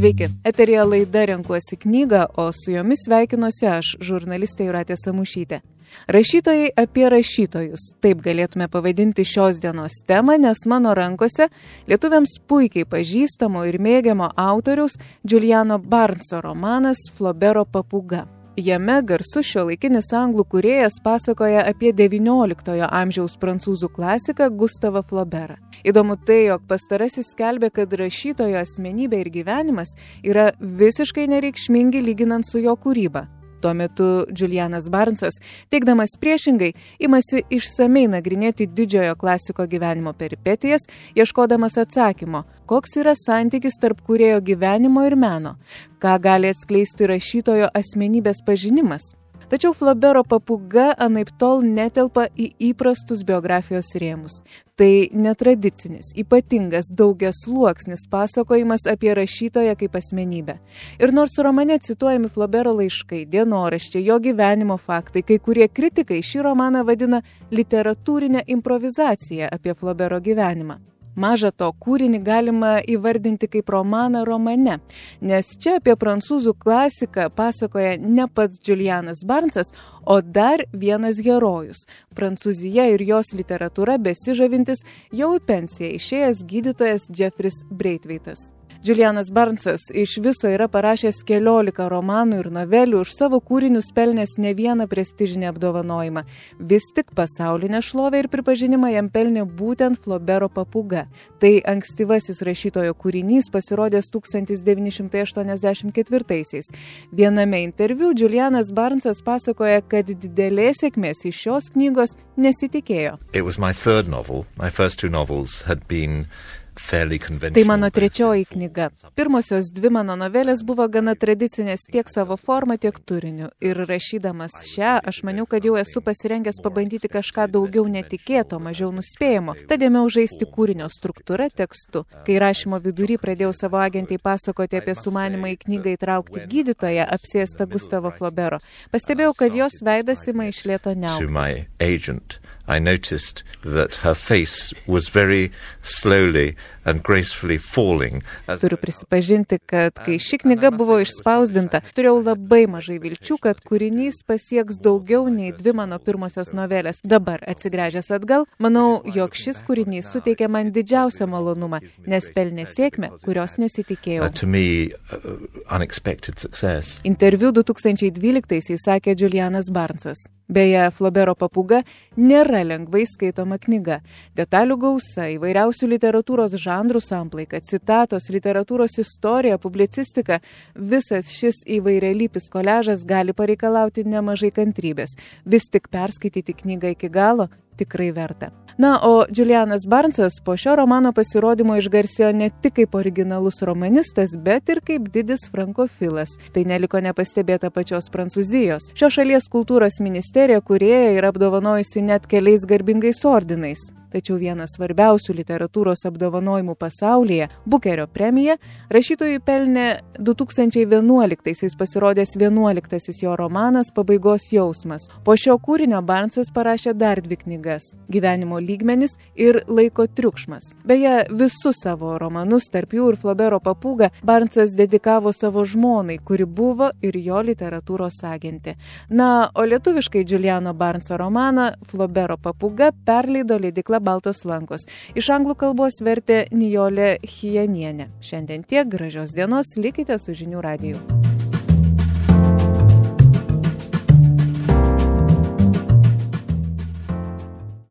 Sveiki, eteryje laida Renkuosi knygą, o su jomis sveikinuosi aš, žurnalistė Jūratė Samušytė. Rašytojai apie rašytojus. Taip galėtume pavadinti šios dienos temą, nes mano rankose lietuviams puikiai pažįstamo ir mėgiamo autoriaus Juliano Barneso romanas Flobero papūga. Jame garsus šiuolaikinis anglų kūrėjas pasakoja apie XIX amžiaus prancūzų klasiką Gustavą Flaubertą. Įdomu tai, jog pastarasis skelbė, kad rašytojo asmenybė ir gyvenimas yra visiškai nereikšmingi lyginant su jo kūryba. Tuo metu Julianas Barnesas, teigdamas priešingai, imasi išsamei nagrinėti didžiojo klasiko gyvenimo peripetijas, ieškodamas atsakymo, koks yra santykis tarp kūrėjo gyvenimo ir meno, ką gali atskleisti rašytojo asmenybės pažinimas. Tačiau Flobero papūga anaiptol netelpa į įprastus biografijos rėmus. Tai netradicinis, ypatingas daugiasluoksnis pasakojimas apie rašytoją kaip asmenybę. Ir nors romane cituojami Flobero laiškai, dienoraščiai, jo gyvenimo faktai, kai kurie kritikai šį romaną vadina literatūrinę improvizaciją apie Flobero gyvenimą. Maža to, kūrinį galima įvardinti kaip romaną romane, nes čia apie prancūzų klasiką pasakoja ne pats Julianas Barnesas, o dar vienas herojus – Prancūzija ir jos literatūra besižavintis jau į pensiją išėjęs gydytojas Jeffris Braithwaitas. Julianas Barnesas iš viso yra parašęs 14 romanų ir novelių, už savo kūrinius pelnęs ne vieną prestižinį apdovanojimą. Vis tik pasaulinę šlovę ir pripažinimą jam pelnė būtent Flobero papūga. Tai ankstyvasis rašytojo kūrinys pasirodęs 1984-aisiais. Viename interviu Julianas Barnesas pasakoja, kad didelės sėkmės iš šios knygos nesitikėjo. It was my third novel. My first two novels had been Tai mano trečioji knyga. Pirmosios dvi mano novelės buvo gana tradicinės tiek savo formą, tiek turiniu. Ir rašydamas šią, aš maniau, kad jau esu pasirengęs pabandyti kažką daugiau netikėto, mažiau nuspėjamo. Tad ėmiau žaisti kūrinio struktūrą tekstu. Kai rašymo vidury pradėjau savo agentai pasakoti apie sumanymą į knygą įtraukti gydytoją, apsėstą Gustavo Flaubero, pastebėjau, kad jos veidas ima iš lėto niauktis. I noticed that her face was very slowly and gracefully falling. Turiu prisipažinti, kad kai ši knyga buvo išspausdinta, turėjau labai mažai vilčių, kad kūrinys pasieks daugiau nei dvi mano pirmosios novelės. Dabar, atsigręžęs atgal, manau, jog šis kūrinys suteikė man didžiausią malonumą, nes pelnė sėkmę, kurios nesitikėjau. To me, unexpected success. Interviu 2012-aisiais sakė Julianas Barnesas. Beje, Flobero papūga nėra lengvai skaitoma knyga. Detalių gausa, įvairiausių literatūros žanrų samplaika, citatos, literatūros istorija, publicistika – visas šis įvairialypis koliažas gali pareikalauti nemažai kantrybės. Vis tik perskaityti knygą iki galo tikrai verta. Na, o Julianas Barnesas po šio romano pasirodymo išgarsėjo ne tik kaip originalus romanistas, bet ir kaip didis frankofilas. Tai neliko nepastebėta pačios Prancūzijos. Šios šalies kultūros ministerija kūrėja yra apdovanojusi net keliais garbingais ordinais. Tačiau vienas svarbiausių literatūros apdovanojimų pasaulyje, Bukerio premija, rašytojui pelnė 2011-aisiais pasirodęs 11-asis jo romanas Pabaigos jausmas. Po šio kūrinio Barnesas parašė dar dvi knygas – Gyvenimo lygmenis ir Laiko triukšmas. Beje, visus savo romanus, tarp jų ir Flobero papūgą, Barnesas dedikavo savo žmonai, kuri buvo ir jo literatūros agentė. Na, o lietuviškai Juliano Barneso romaną Flobero papūga perleido leidykla Baltos lankos. Iš anglų kalbos vertė Nijolė Chijanienė. Šiandien tiek, gražios dienos, likite su Žinių radiju.